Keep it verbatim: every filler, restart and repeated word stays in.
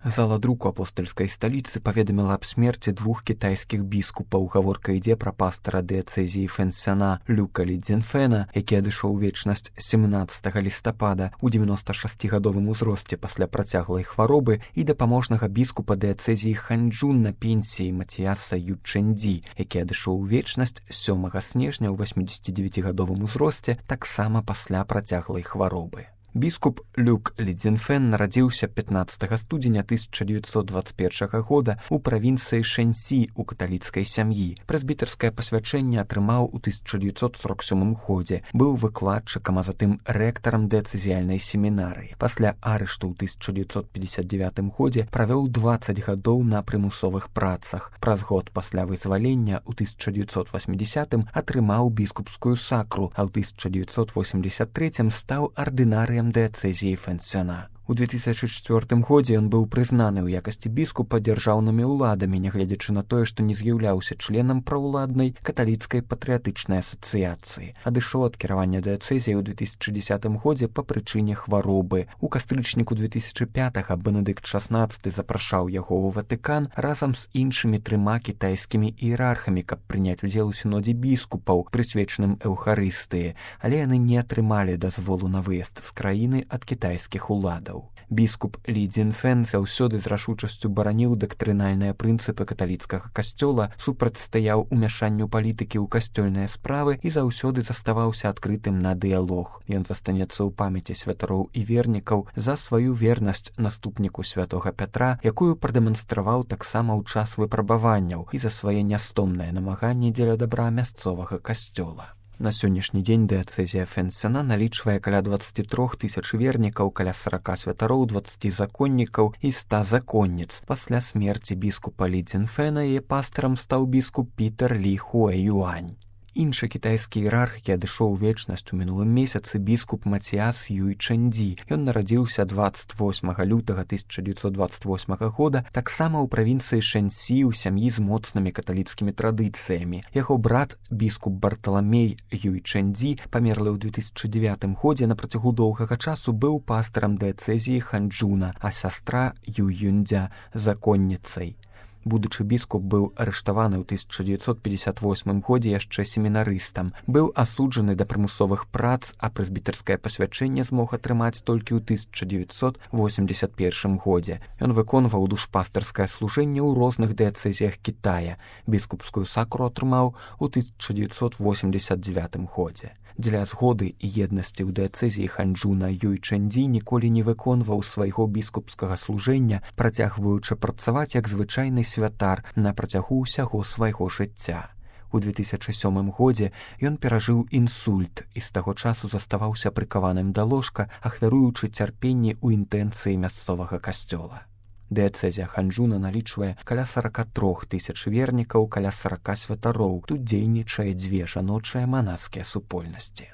Зала друку апостольскай сталіцы паведаміла аб смерці двух кітайскіх біскупаў. Гаворка ідзе пра пастара дыяцэзіі Фэнсяна Люка Лі Цзіньфэна, які адышоў у вечнасць семнаццатага лістапада ў дзевяносташасцігадовым узросце пасля працяглай хваробы, і дапаможнага біскупа дыяцэзіі Ханчжун на пенсіі Матіяса Ючэндзі, які адышоў у вечнасць сёмага снежня ў васьмідзесяцідзевяцігадовым узросце таксама пасля працяглай хваробы. Біскуп Люк Лі Цзіньфэн нарадзіўся пятнаццатага студзеня тысяча дзевяцьсот дваццаць першага года ў правінцыі Шэньсі ў каталіцкай сям'і. Прэзбітарскае пасвячэнне атрымаў у тысяча дзевяцьсот сорок сёмым годзе. Быў выкладчыкам, а затым рэктарам дыяцэзіяльнай семінарыі. Пасля арышту ў тысяча дзевяцьсот пятьдесят девятым годзе правёў дваццаць гадоў на прымусовых працах. Праз год пасля вызвалення ў тысяча дзевяцьсот васьмідзесятым атрымаў біскупскую сакру, а ў тысяча дзевяцьсот восемьдесят трэцім стаў ардынарыем дыяцэзіі Фэнсяна. У две тысячи чвёртым годзе ён быў прызнаны ў якасці біскупа дзяржаўнымі ўладамі, нягледзячы на тое, што не з'яўляўся членам праўладнай каталіцкай патрыятычнай асацыяцыі. Адышоў ад кіравання дыяцэзіяй у две тысячи дзесятым годзе па прычыне хваробы. У кастрычніку две тысячи пятага Бенедыкт шаснаццаты запрашаў яго ў Ватыкан разам з іншымі трыма кітайскімі іерархамі, каб прыняць удзел у сінодзе біскупаў, прысвечаным эўхарыстыі, але яны не атрымалі дазволу на выезд з краіны ад кітайскіх уладаў. Біскуп Лі Цзіньфэн заўсёды з рашучасцю бараніў дактрынальныя прынцыпы каталіцкага касцёла, супрацьстаяў умяшанню палітыкі ў касцёльныя справы і заўсёды заставаўся адкрытым на дыялог. Ён застанецца ў памяці святароў і вернікаў за сваю вернасць наступніку святога Пятра, якую прадэманстраваў таксама ў час выпрабаванняў, і за свае нястомныя намаганні дзеля дабра мясцовага касцёла. На сённяшні дзень дыяцэзія Фэнсяна налічвае каля дваццаць тры тысячы вернікаў, каля сорок святароў, дваццаць законнікаў і ста законніц. Пасля смерці біскупа Лі Цзіньфэна яе пастарам стаў біскуп Пітер Лі Хуэ-Юань. Іншы кітайскі іерарх, які адышоў у вечнасць у мінулым месяцы, біскуп Матіяс Юйчэндзі. Ён нарадзіўся дваццаць восьмага лютага тысяча дзевяцьсот дваццаць восьмага года таксама ў правінцыі Шэньсі ў сям'і з моцнымі каталіцкімі традыцыямі. Яго брат, біскуп Барталамей Юйчэндзі, памерлы ў две тысячи дзевятым годзе, на працягу доўгага часу быў пастарам дыяцэзіі Ханчжуна, а сястра Юй-Юндзя законніцай. Будучы біскуп быў арыштаваны ў тысяча дзевяцьсот пятьдесят восьмым годзе яшчэ семінарыстам. Быў асуджаны да прымусовых прац, а прэзбітарскае пасвячэнне змог атрымаць толькі ў тысяча дзевяцьсот восемьдесят первым годзе. Ён выконваў душпастарскае служэнне ў розных дыяцэзіях Кітая. Біскупскую сакру атрымаў у тысяча дзевяцьсот восемьдесят девятым годзе. Дзеля згоды і еднасці ў дыяцэзіі Ханчжуна Юйчэндзі ніколі не выконваў свайго біскупскага служэння, працягваючы працаваць як звычайны святар на працягу ўсяго свайго жыцця. У две тысячи сёмым годзе ён перажыў інсульт і з таго часу заставаўся прыкаваным да ложка, ахвяруючы цярпенні ў інтэнцыі мясцовага касцёла. Дыяцэзія Ханчжуна налічвае каля сорок три тысяч вернікаў, каля сорок святароў. Тут дзейнічае дзве жаночыя манаскія супольнасці.